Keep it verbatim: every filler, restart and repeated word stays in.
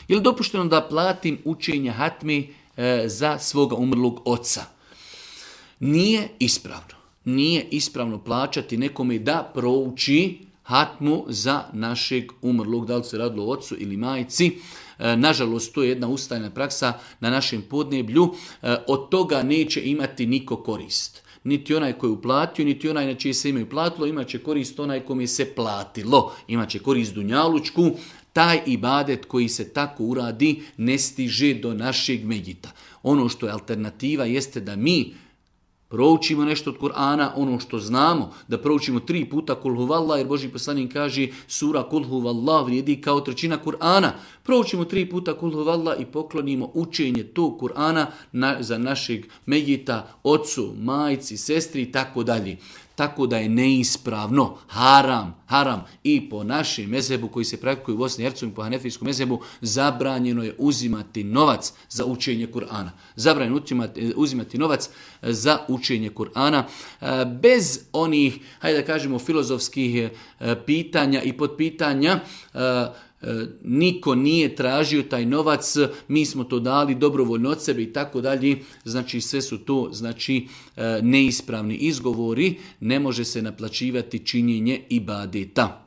Je li dopušteno da platim učenje hatme e, za svoga umrlog oca? Nije ispravno. Nije ispravno plaćati nekome da prouči hatmu za našeg umrlog, da li se radilo o ocu ili majci. E, nažalost, to je jedna ustajna praksa na našem podneblju. E, od toga neće imati niko korist. Niti onaj koji je uplatio, niti onaj na čije se ime platilo, imat će korist onaj kome se platilo. Imat će korist dunjalučku. Taj ibadet koji se tako uradi ne stiže do našeg medjita. Ono što je alternativa jeste da mi proučimo nešto od Kur'ana, ono što znamo, da proučimo tri puta Kul huvallah, jer Božji poslanik kaže sura Kul huvallah vrijedi kao trećina Kur'ana. Proučimo tri puta Kul huvallah i poklonimo učenje tog Kur'ana na, za našeg medjita, ocu, majci, sestri i tako dalje. Tako da je neispravno, haram, haram i po našem mezhebu koji se praktikuje u Bosni i Hercegovini, po hanefijskom mezhebu, zabranjeno je uzimati novac za učenje Kur'ana. Zabranjeno uzimati, uzimati novac za učenje Kur'ana bez onih, hajde da kažemo, filozofskih pitanja i podpitanja. Niko nije tražio taj novac, mi smo to dali dobrovoljno od sebe i tako dalje. Znači sve su to znači neispravni izgovori, ne može se naplaćivati činjenje ibadeta.